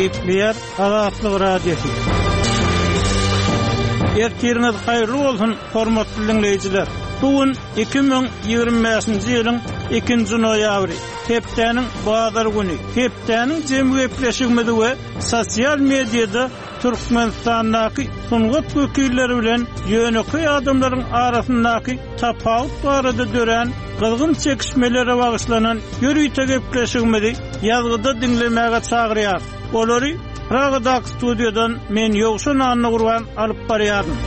Gepleýär Azatlyk Radiosy. Ertiriňiz haýyrly bolsun, hormatly diňleýjiler! Bu gün 2025-nji ýylyň ikinji noýabry, hepdäniň bazar güni. Hepdäniň jemi gepleşigimizi we sosial mediada Türkmenistandaky sungat wekilleri bilen ýönekeý adamlaryň arasyndaky tapawut barada dörän gyzgyn çekişmelere bagyşlanan ýörite gepleşigimizi ýazgyda diňlemäge çagyrýarys. Olary Pragadaky studiýadan men Ýowşan Annagurban alyp barýaryn.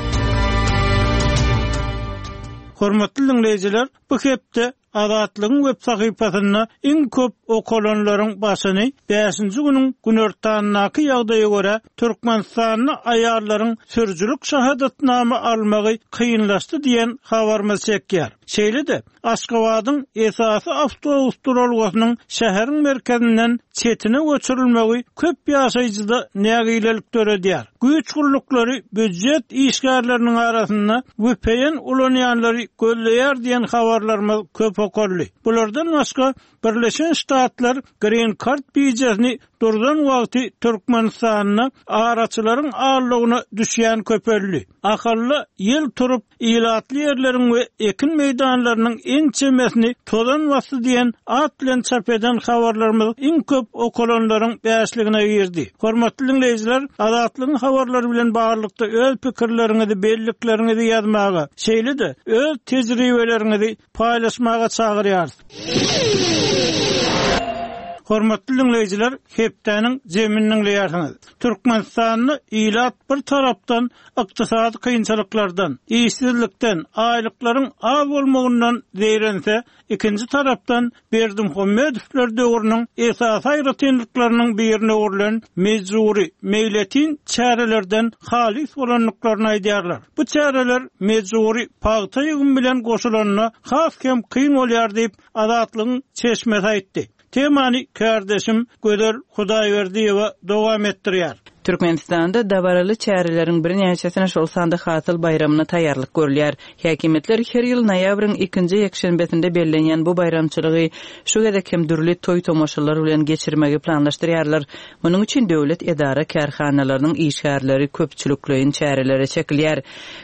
Hormatly diňleýjiler, bu hepde Azatlygyň web sahypasynda iň köp okalanlaryň başyny bäşinji günüň günortandaky ýagdaýa görä, Türkmenistanda aýallaryň sürüjilik şahadatnama almagy kynlaşdy diýen habarymyz çekýär. Şeýle-de, Aşgabadyň esasy awtobus duralgasynyň şäheriň merkezinden çetine göçürilmegi köp ýaşaýjyda nägilelik döredýär. Güýç gulluklary býujet işgärleriniň arasynda vpn ulanýanlary gözleýär diýen habarlarymyz köp okaldy. Bulardan başga, Birleşen Ştatlar Green Card bijesini durzan wagty Türkmenistanda araçylaryň aldawyna düşýän köpeldi. Ahalda ýel turup, ilatly ýerleriň we ekin meýdanlarynyň ençemesini tozan basdy diýen at bilen çap eden habarlarymyz iň köp okalanlaryň bäşligine girdi. Hormatly diňleýjiler, Azatlygyň habarlary bilen baglylykda öz pikirleriňizi, bellikleriňizi ýazmaga, şeýle-de öz tejribeleriňizi paýlaşmaga çagyrýarys. Hormatly diňleýjiler, hepdäniň jemini diňleýärsiňiz. Türkmenistanda ilat bir tarapdan ykdysady kynçylyklardan, işsizlikden, aýlyklaryň az bolmagyndan zeýrense, ikinji tarapdan Berdimuhamedowlar döwrüniň esasy aýratynlyklarynyň birine öwrülen mejbury, meýletin çärelerden halys bolandyklaryny aýdýarlar. Bu çäreler mejbury pagta ýygymy bilen goşulanda has hem kyn bolýar diýip, Azatlygyň çeşmesi aýtdy. Temany kärdeşim Gözel Hudaýberdiýewa dowam etdirýär. Türkmenistanda dabaraly çäreleriň birnäçesine, şol sanda Hasyl baýramyna taýýarlyk görülýär. Häkimiýetler her ýyl noýabryň ikinji ýekşenbesinde bellenýän bu baýramçylygy şu gezek hem dürli toý-tomaşalar bilen geçirmegi planlaşdyrýarlar. Munuň üçin döwlet edara-kärhanalarynyň işgärleri köpçülikleýin çärelere çekilýär.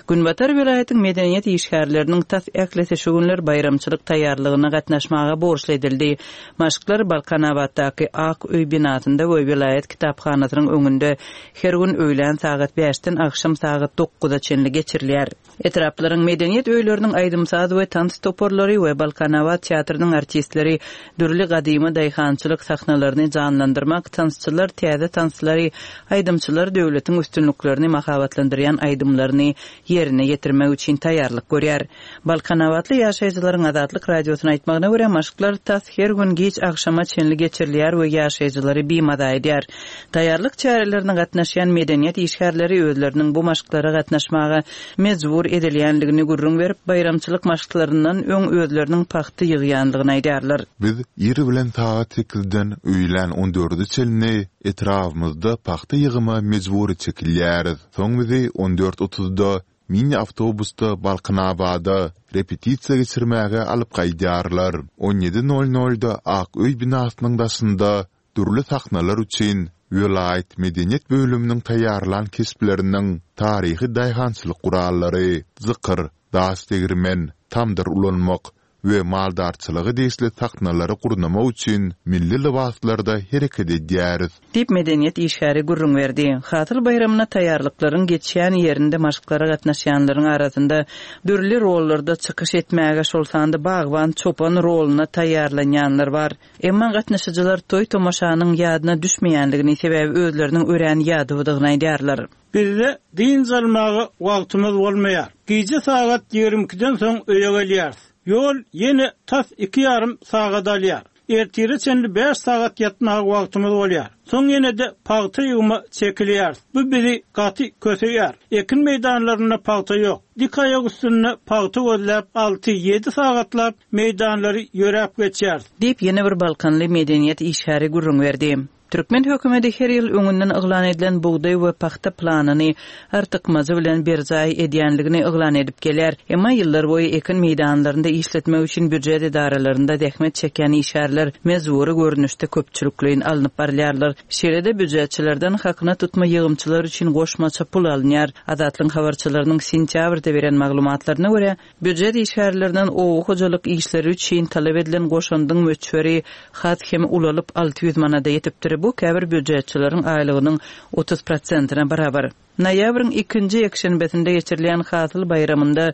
Günbatar welaýatyň medeniýet işgärleriniň tas ählisi şu günler baýramçylyk taýýarlygyna gatnaşmaga borçly edildi. Maşklar Balkanabatdaky Ak öý binasynda we welaýat kitaphanasynyň öňünde her gün öýlän sagat bäşden agşam sagat dokuza çenli geçirilýär. Etraplaryň medeniýet öýleriniň aýdym-saz we tans toparlary we Balkanabat teatrynyň artistleri dürli gadymy daýhançylyk sahnalaryny janlandyrmak, tansçylar täze tanslary, aýdymçylar döwletiň üstünliklerini mahabatlandyrýan aýdymlaryny ýerine ýetirmek üçin taýýarlyk görýär. Balkanabatly ýaşaýjylaryň Azatlyk Radiosyna aýtmagyna görä, maşklar tas her gün giç agşama çenli geçirilýär we ýaşaýjylary bimaza edýär. Taýýarlyk çärelerine gatnaşýan medeniýet işgärleri özleriniň bu maşklara gatnaşmaga mejbur edilýändigini gürrüň berip, baýramçylyk maşklaryndan öň özleriniň pagta ýygýandygyny aýdýarlar. Biz ir bilen sagat sekizden öýlän on dörde çenli etrabymyzda pagta ýygyma mejbury çekilýäris. Soň bizi on dört otuzda Mini awtobusda Balkanabada repetisiýa geçirmäge alyp gaýdýarlar. On ýedi nol nolda Ak öý binasynyň daşynda dürli sahnalar üçin welaýat medeniýet bölüminiň taýýarlan keşpleriniň taryhy daýhançylyk gurallary, jykyr, daş degirmen, tamdyr ulanmak we maldarçylyga degişli sahnalary gurnamak üçin milli lybaslarda hereket edýäris. Diýip, medeniýet işgäri gürrüň berdi. Hasyl baýramyna taýýarlyklaryň geçýän ýerinde maşklara gatnaşýanlaryň arasynda dürli rollarda çykyş etmäge, şol sanda bagban, çopan roluna taýýarlanýanlar bar. Emma gatnaşyjylar toý-tomaşanyň ýadyna düşmeýändigini, sebäbi özleriniň örän ýadawdygyny aýdýarlar. Bizde dynç almaga wagtymyz bolmaýar. Gije sagat 22-den soň öýe gelýäris. Ýol ýene tas iki ýarym sagat alýar. Ertire çenli bäş sagat ýatmaga wagtymyz bolýar. Soň ýene-de pagta ýygyma çekilýäris. Bu bizi gaty köseýär. Ekin meýdanlarynda pagta ýok. Dik aýak üstünde pagta gözläp alty, ýedi sagatlap meýdanlary ýöräp geçýäris. Diýip, ýene bir balkanly medeniýet işgäri gürrüň berdi. Türkmen hökümeti her ýyl öňünden yglan edilen bugdaý we pagta planyny artykmajy bilen berjaý edýänligini yglan edip gelýär. Emma ýyllarboýy ekin meýdanlarynda işletmek üçin býujet edaralarynda zähmet çekýän işgärler mejbury görnüşde köpçülikleýin alnyp barylýarlar. Şeýle-de býujetçilerden hakyna tutma ýygymçylar üçin goşmaça pul alynýar. Azatlygyň habarçylarynyň sentýabrda beren maglumatlaryna görä, Býujet işgärlerinden oba hojalyk işleri üçin talap edilen goşandyň möçberi has hem ulalyp, 600 manada ýetipdir. Bu käbir býujetçileriň aýlygynyň 30 prosentine barabar. Noýabryň ikinji ýekşenbesinde geçirilýän Hasyl baýramynda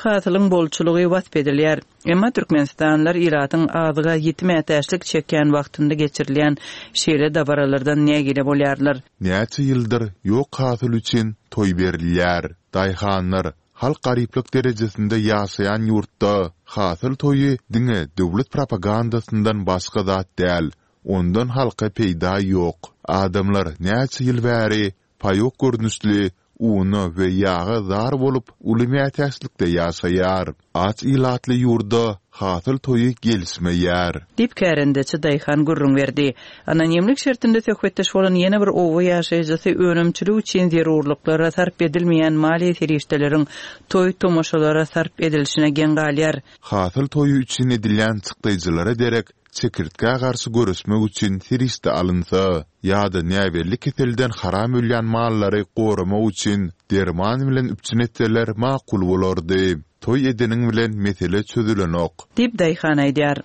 hasylyň bolçulygy wasp edilýär. Emma türkmenistanlylar ilatyň azyga ýiti mätäçlik çekýän wagtynda geçirilýän şeýle dabaralardan nägile bolýarlar. Näçe ýyldyr ýok hasyl üçin toý berilýär. Daýhanlar Halk garyplyk derejesinde ýaşaýan ýurtda hasyl toýy diňe döwlet propagandasyndan başga zat däl, ondan halka peýda ýok. Adamlar näçe ýyl bäri paýok görnüşli una we ýaga zar bolup uly mätäçlikde ýaşaýar. Aç ilatly ýurda hasyl toýy gelişmeýär. Diýip, kärendeçi daýhan gürrüň berdi. Anonimlik şertinde söhbetdeş bolan ýene bir oba ýaşaýjysy önümçilik üçin zerurlyklara sarp edilmeýän maliýe serişdeleriň toý-tomaşalara sarp edilişine geň galýar. Hasyl toýy üçin edilýän çykdaýjylara derek çekirtgä garşy göreşmek üçin serişde alynsa, ýa-da näbelli keselden haram ölýän mallary goramak üçin derman bilen üpjün etseler makul bolardy. Toý edeniň bilen mesele çözülenok. Diýip, daýhan aýdýar.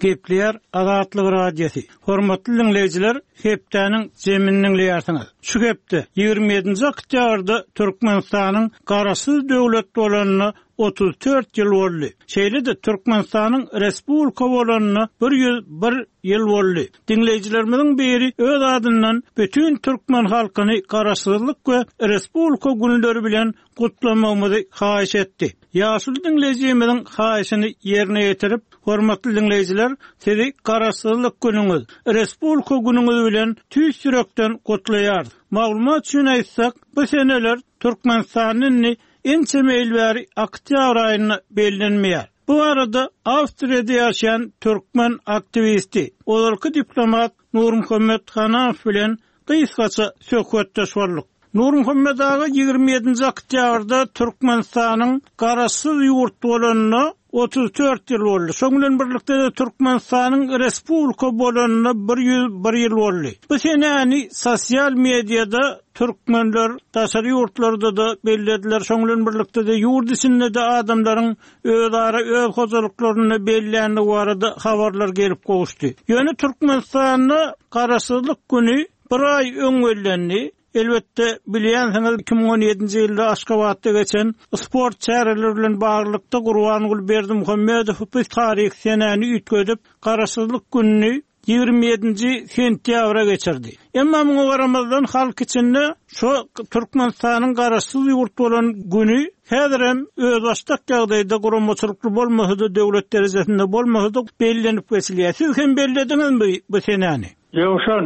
Gepleýär Azatlyk Radiosy. Hormatly diňleýjiler, hepdäniň jemini diňleýärsiňiz. Şu hepde, 27-nji oktýabrda Türkmenistanyň Garaşsyz döwlet bolanyna 34 ýyl boldy. Şeýle-de Türkmenistanyň Respublika bolanyna 101 ýyl boldy. Diňleýjilerimiziň biri öz adyndan bütin türkmen halkyny Garaşsyzlyk we Respublika günleri bilen gutlamagymyzy haýyş etdi. Ýaşuly diňleýjimiziň haýyşyny ýerine ýetirip, hormatly diňleýjiler, sizi Garaşsyzlyk günüňiz, Respublika günüňiz bilen tüýs ýürekden gutlaýarys. Maglumat üçin aýtsak, bu seneler Türkmenistanda indi ençeme ýyl bäri oktýabr aýynda bellenmeýär. Bu barada Awstriýada ýaşaýan türkmen aktiwisti, ozalky diplomat Nurmuhammet Hanamow bilen gysgaça söhbetdeş bolduk. Nurmuhammet aga 27-nji oktýabrda Türkmenistanyň Garaşsyz ýurt bolanyna 34 ýyl boldy. Şoň bilen birlikde-de Türkmenistanyň Respublika bolanyna 101 ýyl boldy. Bu senäni sosial mediada türkmenler daşary ýurtlarda-da bellediler, şoň bilen birlikde-de ýurt içinde-de adamlaryň özara öz hojalyklarynda belländigi barada habarlar gelip gowuşdy. Ýöne Türkmenistanda Garaşsyzlyk güni bir aý öň bellendi. Elbetde, bilýänsiňiz, 2017-nji ýylda Aşgabatda geçen sport çäreleri bilen baglylykda Gurbanguly Berdimuhamedow bu taryhy senäni üýtgedip, Garaşsyzlyk gününi 27-nji sentýabra geçirdi. Emma muňa garamazdan halk içinde şo Türkmenistanyň garaşsyz ýurt bolan güni häzirem özbaşdak ýagdaýda guramaçylykly bolmasa-da döwlet derejesinde bolmasa-da bellenip geçilýär. Siz hem bellediňizmi bu senäni? Ýowşan,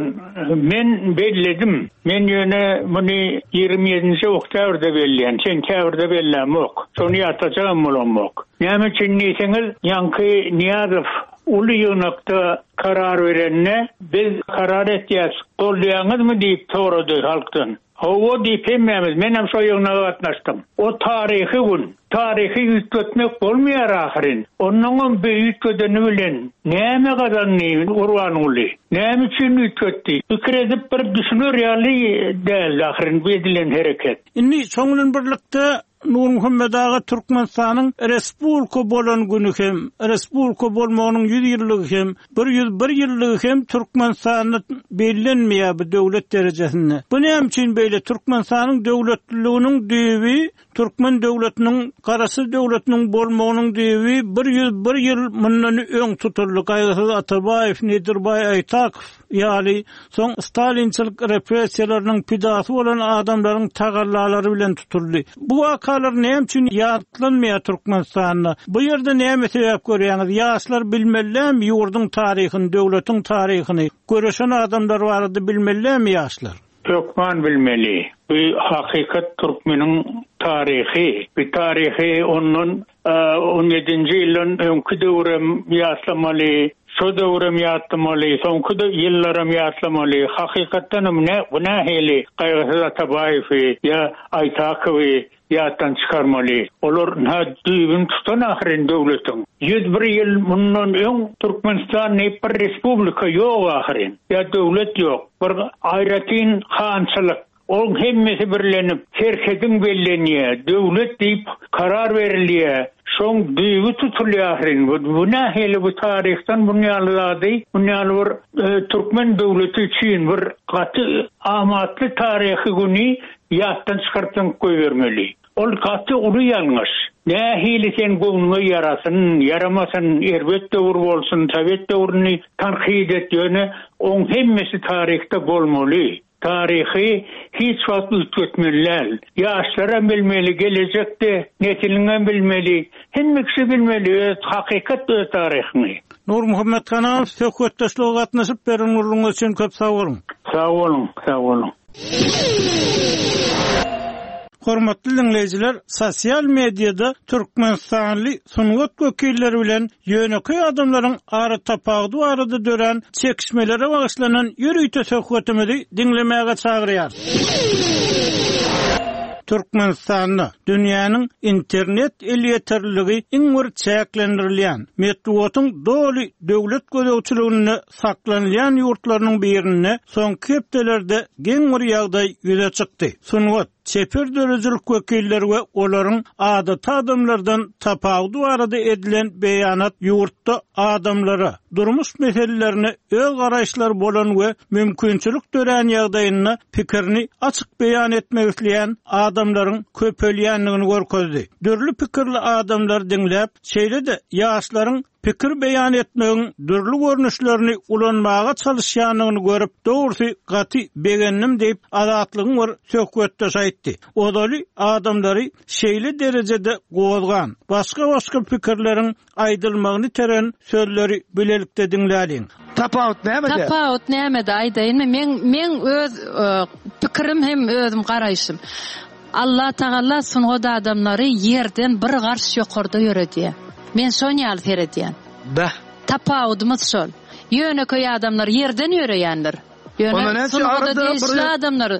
men belledim. Men ýöne muny 27-nji oktýabrda belleýän, sentýabrda bellämok. Şony ýatlajagam bolamok. Näme üçin diýseňiz, ýaňky Nyýazow Uly ýygnakda karar berende, biz karar etýäs, goldaýaňyzmy diýip sorady halkdan. Hawa diýip hemmämiz, menem şo ýygnaga gatnaşdym. O taryhy gün. Taryhy üýtgetmek bolmaýar ahyryn. Onnoňam bu üýtgedeni bilen näme gazandy Gurbanguly? Näme üçin üýtgetdi? Pikir edip bir düşüner ýaly däldi ahyryn bu edilen hereket. Indi şoň bilen birlikde Nurmuhammet aga Türkmenistanyň Respublika bolan güni hem, Respublika bolmagynyň 100 ýyllygy hem, 101 ýyllygy hem Türkmenistanda bellenmeýär bu döwlet derejesinde. Bu näme üçin beýle? Türkmenistanyň döwletliliginiň düýbi, türkmen döwletiniň, Garaşsyz döwletiniň bolmagynyň düýbi 101 ýyl mundan öň tutuldy. Gaýgysyz Atabaýew, Nedirbaý Aýtakow, ýaly, soň stalinçilik repressiýalarynyň pidasy bolan adamlaryň tagallalary bilen tutuldy. Bu wakalar näme üçin ýatlanmaýar Türkmenistanda? Bu ýerde näme sebäp görýäňiz? Ýaşlar bilmelilämi ýurduň taryhyny, döwletiň taryhyny? Göreşen adamlar barada bilmelilämi ýaşlar? Hökman bilmeli. Bu hakykat türkmeniň taryhy. Bu taryhy ondan on ýedinji ýyldan öňki döwürem ýatlamaly. Şo döwrem ýatlamaly, soňky ýyllaram ýatlamaly. Hakykatdanam nä bu nähili Gaýgysyz Atabaýewi ýa Aýtakowy ýatdan çykarmaly. Olar ynha düýbüni tutan ahyryn döwletiň. 101 ýyl mundan öň Türkmenistan diýip bir respublika ýok ahyryn. Ýa döwlet ýok. Bir aýratyn hançylyk. Oň hemmesi birlenip, serhediň bellenýär, döwlet diýip karar berilýär. Şoň düýbi tutulýar ahyryn. Bu, bu nähili bu taryhdan bun ýaly zady, bun ýaly bir türkmen döwleti üçin bir gaty amatly taryhy güni ýatdan çykaryp zyňyp goýbermeli. Ol gaty uly ýalňyş. Nähili sen göwnüňe ýarasyn, ýaramasyn, erbet döwür bolsun, sowet döwrüni tankyt et, ýöne oň hemmesi taryhda bolmaly. Taryhy hiç wagt üýtgetmeli däl. Ýaşlaram bilmeli, gelejekde nesiliňem bilmeli, hemme kişi bilmeli öz hakykat öz taryhyňy. Nurmuhammet Hanamow söhbetdeşlige gatnaşyp beren gürrüňiňiz üçin köp sag boluň. Sag boluň, sag boluň. Hormatly diňleýjiler, sosial mediada türkmenistanly sungat wekilleri bilen ýönekeý adamlaryň aratapawudy barada dörän çekişmelere bagyşlanan ýörite söhbetimizi diňlemäge çagyrýarys. Türkmenistanda dünýäniň internet elýeterliligi iň bir çäklendirilýän, metbugatyň doly döwlet gözegçiliginde saklanylýan ýurtlarynyň birinde soňky hepdelerde geň bir ýagdaý ýüze çykdy. Sungat, çeper döredijilik wekilleri we olaryň adaty adamlardan tapawudy barada edilen beýanat ýurtda adamlara, durmuş meselelerine öz garaýyşlary bolan we mümkinçilik dörän ýagdaýynda pikirini açyk beýan etmek isleýän adamlaryň köpelýändigini görkezdi. Dürli pikirli adamlary diňläp, şeýle-de ýaşlaryň pikir beýan etmegiň dürli görnüşlerini ulanmaga çalyşýandygyny görüp, dogrusy, gaty begendim diýip, Azatlygyň bir söhbetdeşi aýtdy. Ozaly adamlary şeýle derejede gozgan, başga-başga pikirleriň aýdylmagyny iteren sözleri bilelikde diňläliň. Tapawut nämede? Tapawut nämede aýdaýynmy? Meň meň öz pikirim hem özüm garaýşym. Allah Tagala sungat adamlary ýerden bir garş ýokarda ýöredýär. Men şon ýaly seredýän. Beh. Tapawudymyz şol. Ýönekeý adamlar ýerden ýöreýändir. Ýöne sungata degişli adamlar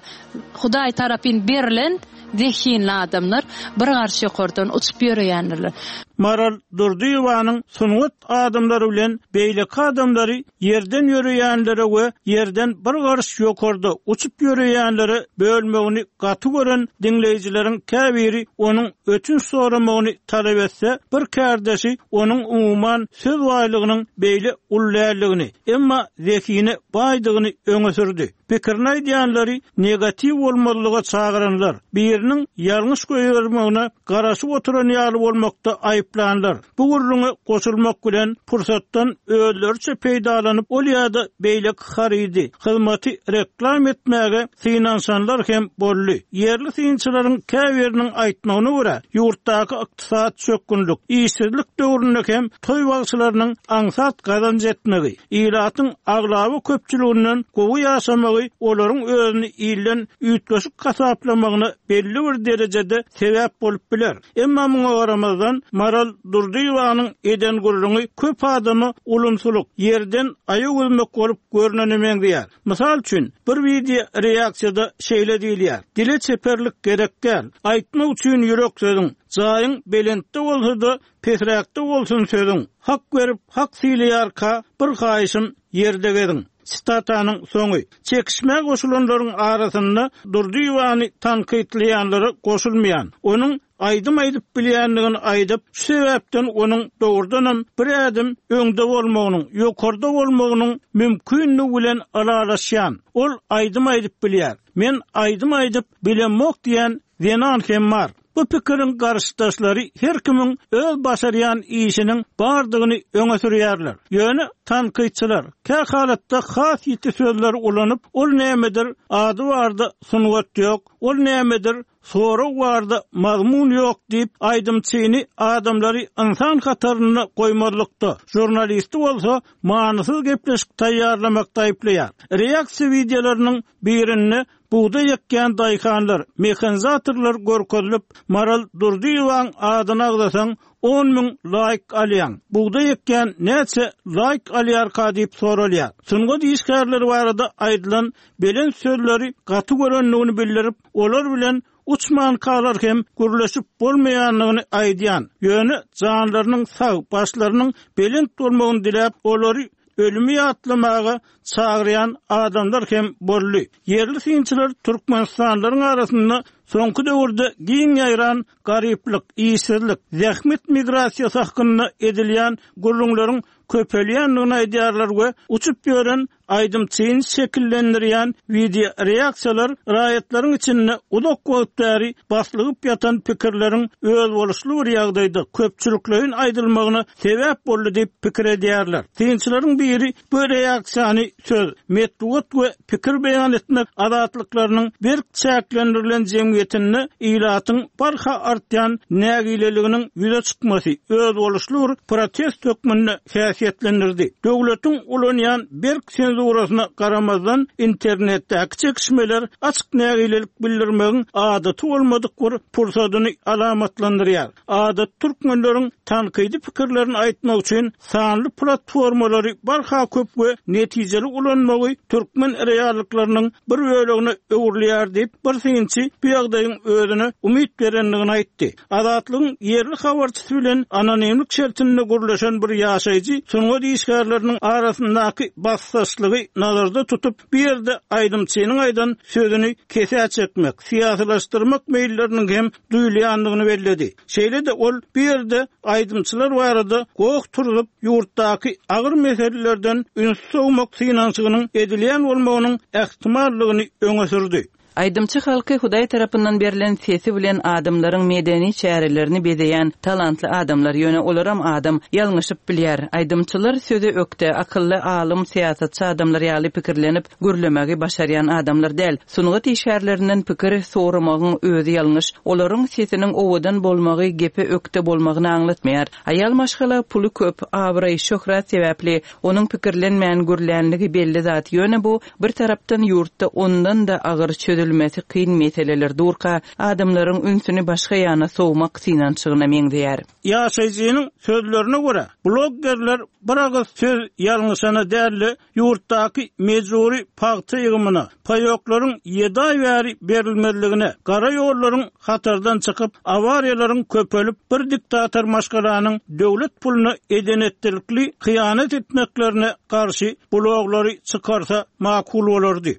Hudaý tarapyn berlen zehinli adamlar bir garş ýokardan uçup ýöreýändirler. Maral Durdyýewanyň sungat adamlary bilen beýleki adamlary ýerden ýöreýänlere we ýerden bir garyş ýokarda uçup ýöreýänlere bölmegini gaty gören diňleýjileriň käbiri onuň ötünç soramagyny talap etse, bir kärdeşi onuň umuman söz baýlygynyň beýle uly däldigini, emma zehine baýdygyny öňe sürdi. Pikirini aýdýanlary negatiw bolmazlyga çagyranlar, biriniň ýalňyş goýbermegine garaşyp oturan ýaly bolmakda aýyplanlar, bu gürrüňe goşulmak bilen pursatdan özleriçe peýdalanyp ol ýa-da beýleki harydy, hyzmaty reklam etmäge synanyşanlar hem boldy. Ýerli synçylaryň käbiriniň aýtmagyna görä, ýurtdaky ykdysady çökgünlik, işsizlik döwründe hem toý bagşylarynyň aňsat gazanç etmegi, Ilatyň aglaba köpçüliginden gowy ýaşamagy olaryň özüni ilden üýtgeşik hasaplamagyna belli bir derejede sebäp bolup biler. Emma muňa garamazdan, Maral Durdyýewanyň eden gürrüňi köp adama ulumsylyk, ýerden aýak üzmek bolup görnene meňzeýär. Mysal üçin, bir wideo reaksiýada şeýle diýilýär, Dile çeperlik gerek däl. Aýtmak üçin ýürek sözüň. Jaýyň belentde bolsa-da, Pesräkde bolsun sözüň. Hak berip, hak sylaýarka, bir haýyşym, ýerde geziň. Sitatanyň soňy. Çekişmä goşulanlaryň arasynda Durdyýewany tankytlaýanlara goşulmaýan, onuň aýdym aýdyp bilýändigini aýdyp, şu sebäpden onuň dogrudanam bir ädim öňde bolmagynyň, ýokarda bolmagynyň mümkindigi bilen ylalaşýan, ol aýdym aýdyp bilýär, men aýdym aýdyp bilemok diýen zenan hem bar. Bu pikiriň garşydaşlary her kimiň öz başarýan işiniň bardygyny öňe sürýärler. Ýöne tankytçylar, kä halatda has ýiti sözleri ulanyp, ol nämedir, ady barda sungat ýok, ol nämedir, Sorag barda mazmun ýok diýip, aýdymçyny adamlary ynsan hatarynda goýmazlykda, žurnalisti bolsa manysyz gepleşik taýýarlamakda aýyplaýar. Reaksiýa wideolarynyň birinde bugdaý ekýän daýhanlar, mehanizatorlar görkezilip, Maral Durdyýewaň adyny agzasaň, 10,000 laýk alýaň, bugdaý ekýän näçe laýk alýarka diýip soralýar. Sungat işgärleri barada aýdylan belent sözleri gaty görendigini bildirip, olar bilen uçmankalar hem gürleşip bolmaýandygyny aýdýan, ýöne janlarynyň sag, başlarynyň belent bolmagyny diläp, olary ölümi ýatlamaga çagyrýan adamlar hem boldy. Ýerli synçylar türkmenistanlylaryň arasynda soňky döwürde giň ýaýran garyplyk, işsizlik, zähmet migrasiýasy hakynda edilýän gürrüňleriň köpelýändigini aýdýarlar we uçup ýören aýdymçyny şekillendirýän wideoreaksiýalar raýatlaryň içinde uzak wagt bäri baslygyp ýatan pikirleriň özboluşly bir ýagdaýda köpçülikleýin aýdylmagyna sebäp boldy diýip pikir edýärler. Synçylaryň biri bu reaksiýany söz, metbugat we pikir beýan etmek azatlyklarynyň berk çäklendirilen jemgyýetinde ilatyň barha artýan nägileliginiň ýüze çykmasy özboluşly bir protest hökmünde häsiýetlendirdi. Döwletiň ulanýan berk senzurasyna garamazdan, internetdäki çekişmeler açyk nägilelik bildirmegiň adaty bolmadyk bir pursadyny alamatlandyrýar. Adaty türkmenleriň tankydy pikirlerini aýtmak üçin sanly platformalary barha köp we netijeli ulanmagy türkmen reallyklarynyň bir bölegine öwrülýär diýip, bir synçy bu ýagdaýyň özüne umyt berendigini aýtdy. Azatlygyň ýerli habarçysy bilen anonimlik şertinde gürleşen bir ýaşaýjy sungat işgärleriniň arasyndaky basdaşlygy nazarda tutup, bu ýerde aýdymçynyň aýdan sözüni kesä çekmek, syýasylaşdyrmak meýilleriniň hem duýulýandygyny belledi. Şeýle-de ol bu ýerde aýdymçylar barada goh turzup, ýurtdaky agyr meselelerden üns sowmak synanyşygynyň edilýän bolmagynyň ähtimallygyny öňe sürdi. Aýdymçy halky Hudaý tarapyndan berlen sesi bilen adamlaryň medeni çärelerini bezeýän talantly adamlar, ýöne olaram adam, ýalňyşyp bilýär. Aýdymçylar söze ökde, akylly, alym, syýasatçy adamlar ýaly pikirlenip, gürlemegi başarýan adamlar däl. Sungat işgärlerinden pikir soramagyň özi ýalňyş. Olaryň sesiniň owadan bolmagy gepe ökde bolmagyny aňlatmaýar. Aýal maşgala puly köp, abraý, şöhrat sebäpli onuň pikirlenmän gürlänligi belli zat, ýöne bu bir tarapdan ýurtda ondan-da agyr çözülmesi kyn meseleler durka, adamlaryň ünsüni başga ýana sowmak synanyşygyna meňzeýär. Ýaşaýjynyň sözlerine görä, bloggerler bir agyz söz ýalňyşana däl-de, ýurtdaky mejbury pagta ýygymyna, paýoklaryň ýedi aý bäri berilmezligine, gara ýollaryň hatardan çykyp, awariýalaryň köpelip, bir diktator maşgalanyň döwlet puluna eden-etdilikli hyýanat etmeklerine garşy bloglary çykarsa makul bolardy.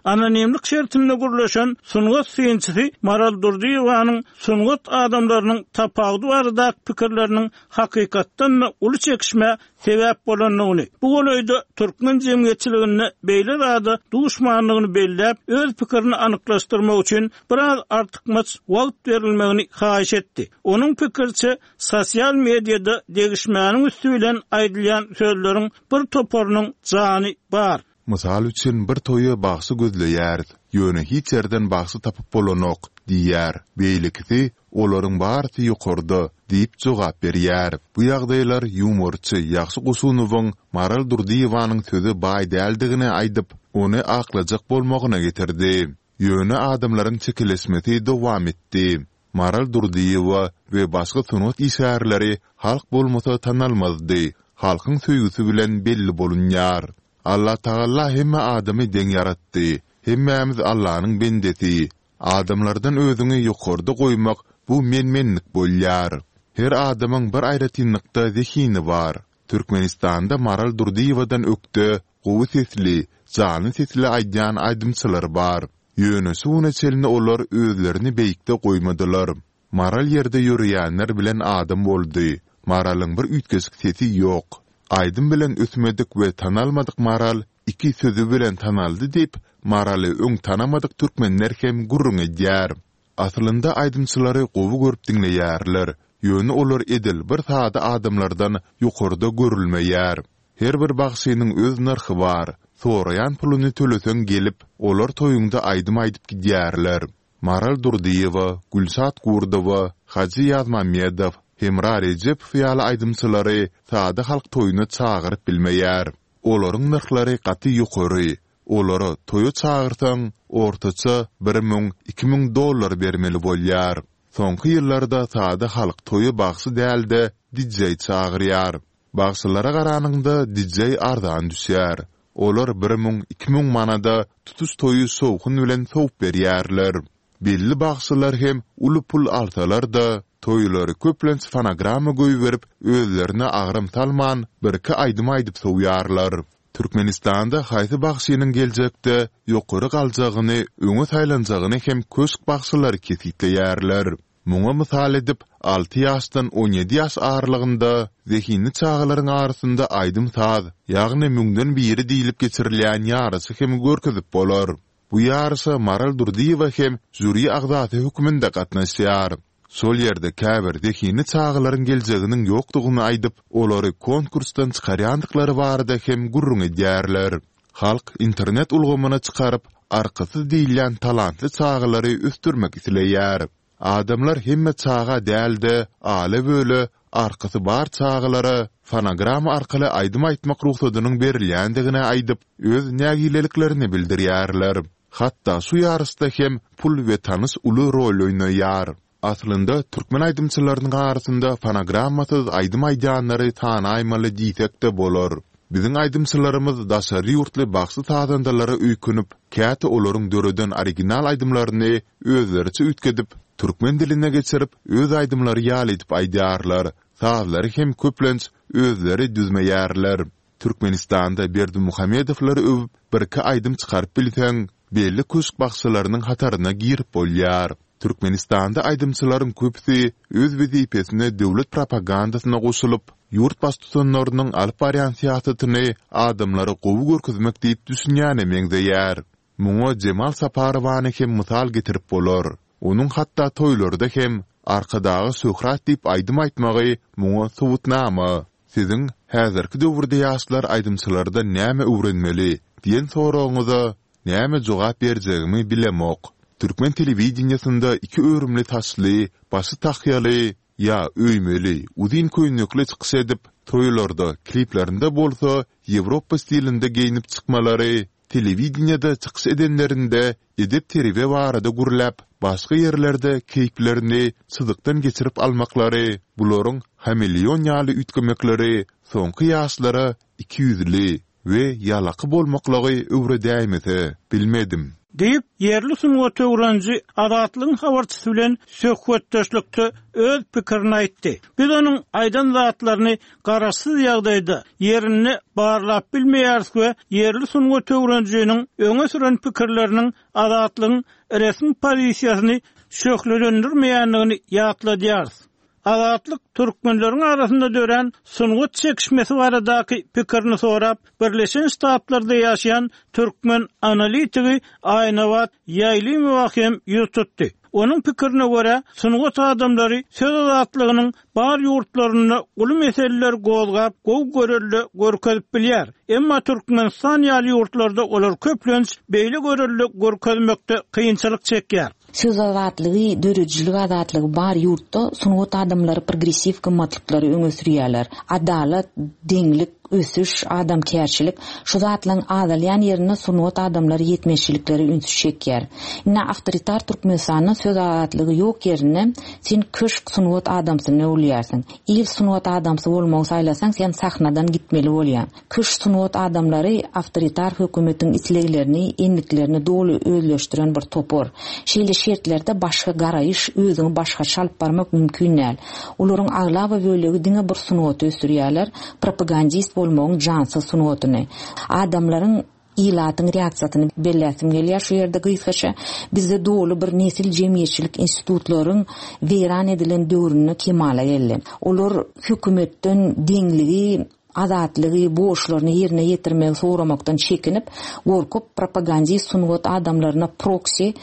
Anonimlik şertinde gürleşen sungat synçysy Maral Durdyýewanyň sungat adamlarynyň tapawudy baradaky pikirleriniň hakykatdan-da uly çekişmä sebäp bolandygyny, bu golaýda türkmen jemgyýetçiliginde beýle zada duşmandygyny belläp, öz pikirini anyklaşdyrmak üçin biraz artykmaç wagt berilmegini haýyş etdi. Onuň pikiriçe, sosial mediada degişmäniň üsti bilen aýdylýan sözleriň bir toparynyň jany bar. Mysal üçin, bir toýa bagşy gözleýäris, ýöne hiç ýerden bagşy tapyp bolanok, diýýär. Beýlekisi, Olaryň barysy ýokarda, diýip jogap berýär. Bu ýagdaýlar ýumorçy Ýagşy Goşunowyň Maral Durdyýewanyň söze baý däldigini aýdyp, ony aklajak bolmagyna getirdi. Ýöne adamlaryň çekeleşmesi dowam etdi. Maral Durdyýewa we başga sungat işgärleri halk bolmasa tanalmazdy. Halkyň söýgüsi bilen belli bolunýar. Allatagalla hemme adamy deň ýaratdy. Hemmämiz Allanyň bendesi. Adamlardan özüňi ýokarda goýmak bu men-menlik bolýar. Her adamyň bir aýratynlykda zehini bar. Türkmenistanda Maral Durdyýewadan ökde, gowy sesli, janly sesli aýdýan aýdymçylar bar. Ýöne şu güne çenli olar özlerini beýikde goýmadylar. Maral ýerde ýöreýänler bilen adam boldy. Maralyň bir üýtgeşik sesi ýok. Aýdym bilen ösmedik we tanalmadyk Maral iki sözi bilen tanaldy diýip, Maraly öň tanamadyk türkmenler hem gürrüň edýär. Aslynda aýdymçylary gowy görüp diňleýärler, ýöne olar edil bir sada adamlardan ýokarda görülmeýär. Her bir bagşynyň öz nyrhy bar. Soraýan puluny töleseň gelip, olar toýuňda aýdym aýdyp gidýärler. Maral Durdyýewa, Gülşat Gurdowa, Hajy Ýazmammedow, Hemra Rejepow ýaly aýdymçylary sada halk toýuna çagyryp bilmeýär. Olaryň nyrhlary gaty ýokary. Olara toýa çagyrsaň, ortaça 1000, 2000 dollar bermeli bolýar. Soňky ýyllarda sada halk toýa bagşy däl-de, dijeý çagyrýar. Bagşylara garanyňda dijeý arzan düşýär. Olar 1000, 2000 manada tutuş toýy şowhun bilen sowup berýärler. Belli bagşylar hem uly pul alsalar-da, toýlary köplenç fonogramma goýberip, özlerine agram salman, birki aýdym aýdyp sowýarlar. Türkmenistanda haýsy bagşynyň geljekde ýokary galjagyny, öňe saýlanjagyny hem köşk bagşylary kesgitleýärler. Muňa mysal edip, alty ýaşdan 17 ýaş aralygynda zehinli çagalaryň arasynda aýdym-saz, ýagny müňden biri diýlip geçirilýän ýaryşy hem görkezip bolar. Bu ýaryşa Maral Durdyýewa hem žýuri agzasy hökmünde gatnaşýar. Şol ýerde käbir zehinli çagalaryň geljeginiň ýokdugyny aýdyp, olary konkursdan çykarýandyklary barada hem gürrüň edýärler. Halk internet ulgamyna çykaryp, arkasyz diýilýän talantly çagalary ösdürmek isleýär. Adamlar hemme çaga däl-de, ala-böle, arkasy bar çagalara fonogramma arkaly aýdym aýtmak rugsadynyň berilýändigini aýdyp, öz nägileliklerini bildirýärler. Hatda şu ýaryşda hem pul we tanyş uly rol oýnaýar. Aslynda, türkmen aýdymçylarynyň arasynda fonogrammasyz aýdym aýdýanlary sanaýmaly diýsek-de bolar. Biziň aýdymçylarymyz daşary ýurtly bagşy-sazandalara öýkünip, käte olaryň döreden original aýdymlaryny özleriçe üýtgedip, türkmen diline geçirip, öz aýdymlary ýaly edip aýdýarlar, sazlary hem köplenç özleri düzmeýärler. Türkmenistanda Berdimuhamedowlary öwüp birki aýdym çykaryp bilseň, belli köşk bagşylarynyň hataryna girip bolýar. Türkmenistanda aýdymçylaryň köpüsi öz wezipesine döwlet propagandasyna goşulyp, ýurt baştutanlarynyň alyp barýan syýasatyny adamlara gowy görkezmek diýip düşünýäne meňzeýär. Muňa Jemal Saparowany hem mysal getirip bolar. Onuň hatda toýlarda hem Arkadaga şöhrat diýip aýdym aýtmagy muňa subutnama. Siziň, Häzirki döwürde ýaşlar aýdymçylardan näme öwrenmeli? diýen soragyňyza näme jogap berjegimi bilemok. Türkmen telewideniýesinde iki örümli saçly, başy tahýaly, ýa öýmeli, uzyn köýnekli çykyş edip, toýlarda, kliplerinde bolsa ýewropa stilinde geýnip çykmalary, Telewideniýede çykyş edenlerinde edep-terbiýe barada gürläp, başga ýerlerde keýplerini çyzykdan geçirip almaklary, bularyň hameleon ýaly üýtgemekleri soňky ýaşlara ikiýüzli we ýalaky bolmaklygy öwredäýmese, bilmedim. Diýip, ýerli sungat öwreniji Azatlygyň habarçysy bilen söhbetdeşlikde öz pikirini aýtdy. Biz onuň aýdan zatlaryny garaşsyz ýagdaýda, ýerinde barlap bilmeýäris we ýerli sungat öwrenijiniň öňe süren pikirleriniň Azatlygyň resmi pozisiýasyny şöhlelendirmeýändigini ýatladýarys. Azatlyk türkmenleriň arasynda dörän sungat çekişmesi baradaky pikirini sorap, Birleşen Ştatlarda ýaşaýan türkmen analitigi Aýnabat Ýaýlymowa hem ýüz tutdy. Onuň pikirine görä, sungat adamlary söz azatlygynyň bar ýurtlarynda uly meseleleri gozgap, gowy görelde görkezip bilýär. Emma Türkmenistan ýaly ýurtlarda olar köplenç beýle görelde görkezmekde kynçylyk çekýär. Söz azatlygy, döredijilik azatlygy bar ýurtda sungat adamlary progressiw gymmatlyklary öňe sürýärler. Adalat, deňlik, ösüş, adamkärçilik, şu zatlaryň azalýan ýerinde sungat adamlary ýetmezçiliklere ünsi çekýär. Indi awtoritar Türkmenistanda söz azatlygy ýok ýerinde sen köşk sungat adamsyna öwrülýärsiň. Il sungat adamsy bolmagy saýlasaň sen sahnadan gitmeli bolýaň. Köşk sungat adamlary awtoritar hökümetiň isleglerini, endiklerini doly özleşdiren bir topar. Şeýle şertlerde başga garaýyş, özüňi başgaça alyp barmak mümkin däl. Olaryň aglaba bölegi diňe bir sungaty ösdürýärler, propagandist bolmagyň jansyz sungatyny. Adamlaryň, ilatyň reaksiýasyny belläsim gelýär şu ýerde gysgaça. Bizde doly bir nesil jemgyýetçilik institutlaryň weýran edilen döwründe kemala geldi. Olar hökümetden deňligi. Azatlygy, borçlaryny ýerine ýetirmegi soramakdan çekinip, gorkup, propagandist sungat adamlaryna proksi,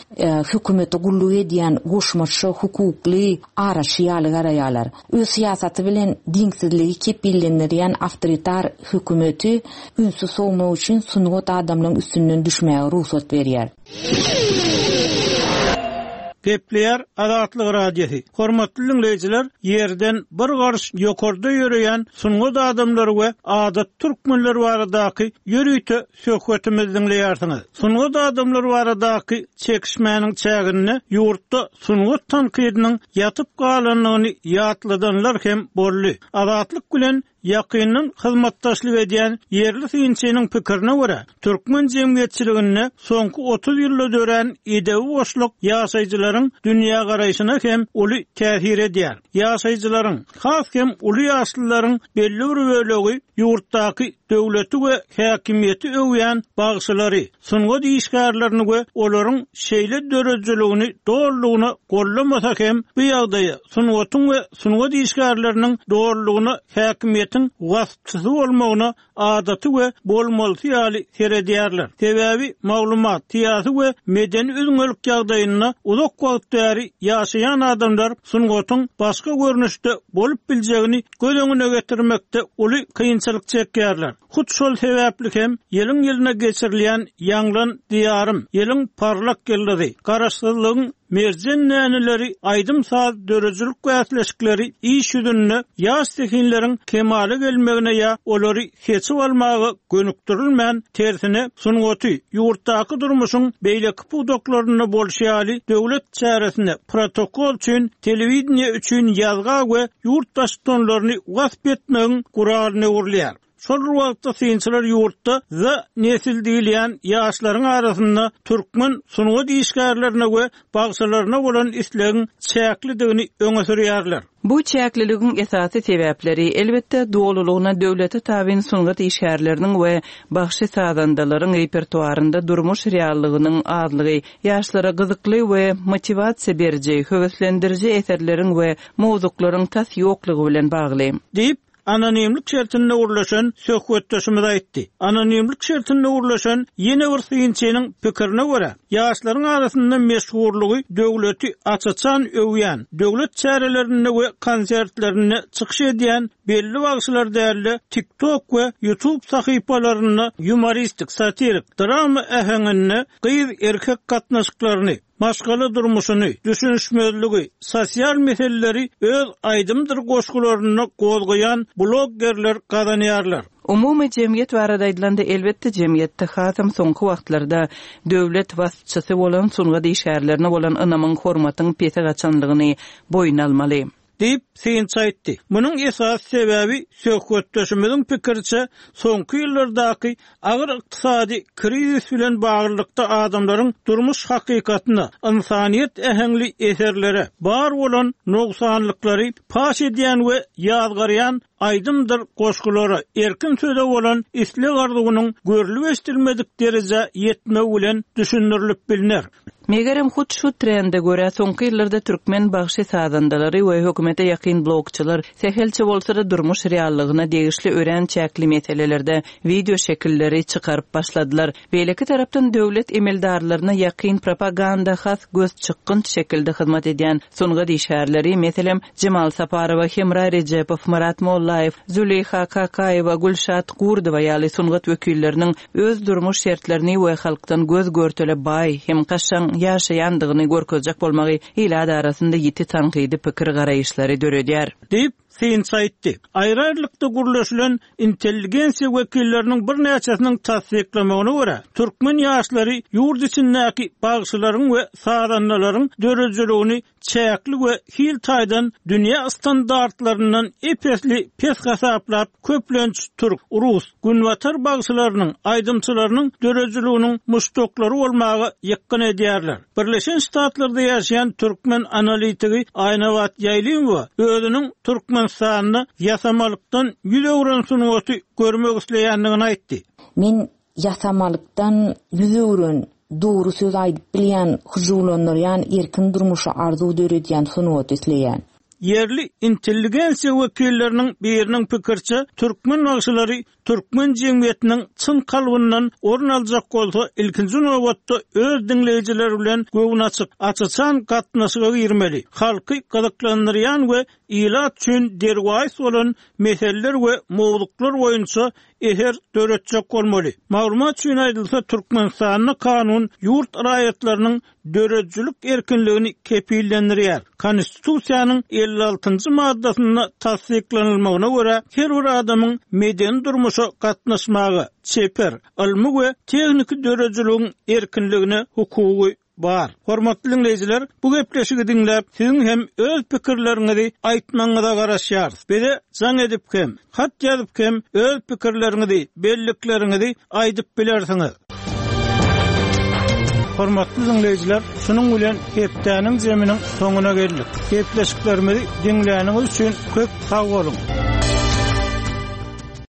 hökümete gulluk edýän goşmaça hukukly araçy ýaly garaýarlar. Öz syýasaty bilen diňsizligi kepillendirýän awtoritar hökümeti ünsi sowmak üçin sungat adamlaryň üstünden düşmäge rugsat berýär. Gepleýär Azatlyk Radiosy. Hormatly diňleýjiler, ýerden bir garyş ýokarda ýöreýän sungat adamlary we adaty türkmenler baradaky ýörite söhbetimizi diňleýärsiňiz. Sungat adamlary baradaky çekişmäniň çäginde ýurtda sungat tankydynyň ýatyp galandygyny ýatladanlar hem boldy. Azatlyk bilen Ýakyndan hyzmatdaşlyk edýän ýerli synçynyň pikirine görä, türkmen jemgyýetçiliginde soňky 30 ýylda dörän edebi boşluk ýaşaýjylaryň dünýägaraýşyna hem uly täsir edýär. Ýaşaýjylaryň, has hem uly ýaşlylaryň belli bir bölegi ýurtdaky döwleti we häkimiýeti öwýän bagşylary, sungat işgärlerini we olaryň şeýle döredijiligini dolulygyna gollamasa hem, bu ýagdaýa sungatyň we sungat işgärleriniň dolulygyna häkimiýetiň waspçysy bolmagyna adaty we bolmalysy ýaly seredýärler. Sebäbi maglumat, syýasy we medeni üzňelik ýagdaýynda uzak wagt bäri ýaşaýan adamlar sungatyň başga görnüşde bolup biljegini göz öňüne getirmekde uly kynçylyk çekýärler. Hut şol sebäpli hem ýylyň-ýylyna geçirilýän Ýaňlan, Diýarym, ýylyň parlak ýyldyzy, Garaşsyzlygyň merjen däneleri aýdym-saz döredijilik bäsleşikleri iş ýüzünde ýaş zehinleriň kemala gelmegine ýa olary seçip almaga gönükdirilmän, tersine, sungaty ýurtdaky durmuşyň beýleki pudaklarynda bolşy ýaly döwlet çäresine, protokol üçin, telewideniýe üçin ýazga we ýurt baştutanlaryny wasp etmegiň guralyna öwrülýär. Şol bir wagtda synçylar ýurtda Z-nesil diýilýän ýaşlaryň arasynda türkmen sungat işgärlerine we bagşylaryna bolan islegiň çäklidigini öňe sürýärler. Bu çäkliligiň esasy sebäpleri, elbetde, dolulygyna döwlete tabyn sungat işgärleriniň we bagşy-sazandalaryň repertuarynda durmuş reallygynyň azlygy, ýaşlara gyzykly we motiwasiýa beriji, höweslendiriji eserleriň we mowzuklaryň tas ýoklugy bilen bagly. Diýip, anonimlik şertinde gürleşen söhbetdeşimiz aýtdy. Anonimlik şertinde gürleşen ýene bir synçynyň pikirine görä, ýaşlaryň arasynda meşhurlygy döwleti aç-açan öwýän, döwlet çärelerinde we konsertlerinde çykyş edýän belli bagşylar däl-de, TikTok we YouTube sahypalarynda ýumoristik, satirik, drama äheňinde gyz-erkek gatnaşyklaryny, maşgala durmuşyny, düşünişmezligi, sosial meseleleri öz aýdymdyr goşgularynda gozgaýan bloggerler gazanýarlar. Umumy jemgyýet barada aýdylanda, elbetde, jemgyýetde hasam soňky wagtlarda döwlet waspçysy bolan sungat işgärlerine bolan ynamyň, hormatyň pese gaçanlygyny boýun almaly. Diýip, synçy aýtdy. Munuň esasy sebäbi, söhbetdeşimiziň pikiriçe, soňky ýyllardaky agyr ykdysady krizis bilen baglylykda adamlaryň durmuş hakykatyna, ynsanyýet äheňli eserlere, bar bolan nogsanlyklary paş edýän we ýazgarýan aýdymdyr goşgulara, erkin söze bolan isleg-arzuwynyň görlüp-eşidilmedik derejä ýetmegi bilen düşündirilip bilner. Megerem, hut şu trende görä, soňky ýyllarda türkmen bagşy-sazandalary we hökümete ýakyn blogçylar sähelçe bolsa-da durmuş reallygyna degişli örän çäkli meselelerde wideo şekilleri çykaryp başladylar. Beýleki tarapdan, döwlet emeldarlaryna ýakyn propaganda has gözçykgynç şekilde hyzmat edýän sungat işgärleri, meselem, Jemal Saparowa, Hemra Rejepow, Myrat Mollaýew, Züleýha Kakaýewa, Gülşat Gurdowa ýaly sungat wekilleriniň öz durmuş şertlerini we halkdan göz-görtele baý hem kaşaň ýaşaýandygyny görkezjek bolmagy ilat arasynda ýiti tankydy pikir-garaýyşlary döredýär. Diýip, synçy aýtdy. Aýry-aýrylykda gürleşilen intelligensiýa wekilleriniň birnäçesiniň tassyklamagyna görä, türkmen ýaşlary ýurt içindäki bagşylaryň we sazandalaryň döredijiligini çäkli we hil taýdan dünýä standartlaryndan ep-esli pes hasaplap, köplenç türk, rus, günbatar bagşylarynyň, aýdymçylarynyň döredijiliginiň muşdaklary bolmaga ýykgyn edýärler. Birleşen Ştatlarda ýaşaýan türkmen analitigi Aýnabat Ýaýlymowa özüniň Türkmenistanda ýasamalykdan ýüz öwren sungaty görmek isleýändigini aýtdy. Men Ýasamalykdan ýüz öwren, dogry söz aýdyp bilýän, hyjuwlandyrýan, erkin durmuşa arzuw döredýän sungaty isleýän. Ýerli intelligensiýa wekilleriniň biriniň pikiriçe, türkmen bagşylary türkmen jemgyýetiniň çyn kalbyndan orun aljak bolsa, ilkinji nobatda öz diňleýjileri bilen göwnaçyk, aç-açan gatnaşyga girmeli, halky gyzyklandyrýan we ilat üçin derwaýys bolan meseleler we mowzuklar boýunça eser döretjek bolmaly. Maglumat üçin aýdylsa, Türkmenistanda kanun ýurt raýatlarynyň döredijilik erkinligini kepillendirýär. Konstitusiýanyň 56-njy maddasynda tassyklanylmagyna görä, her bir adamyň medeni durmuşa gatnaşmaga, çeper, ylmy we tehniki döredijiligiň erkinligine hukugy bar. Hormatly diňleýjiler, bu gepleşigi diňläp, siziň hem öz pikirleriňizi aýtmagyňyza garaşýarys. Bize jaň edip hem, hat ýazyp hem öz pikirleriňizi, bellikleriňizi aýdyp bilersiňiz. Hormatly diňleýjiler, şunuň bilen hepdäniň zeminiň soňuna geldik. Gepleşiklerimizi diňläniňiz üçin köp sag boluň!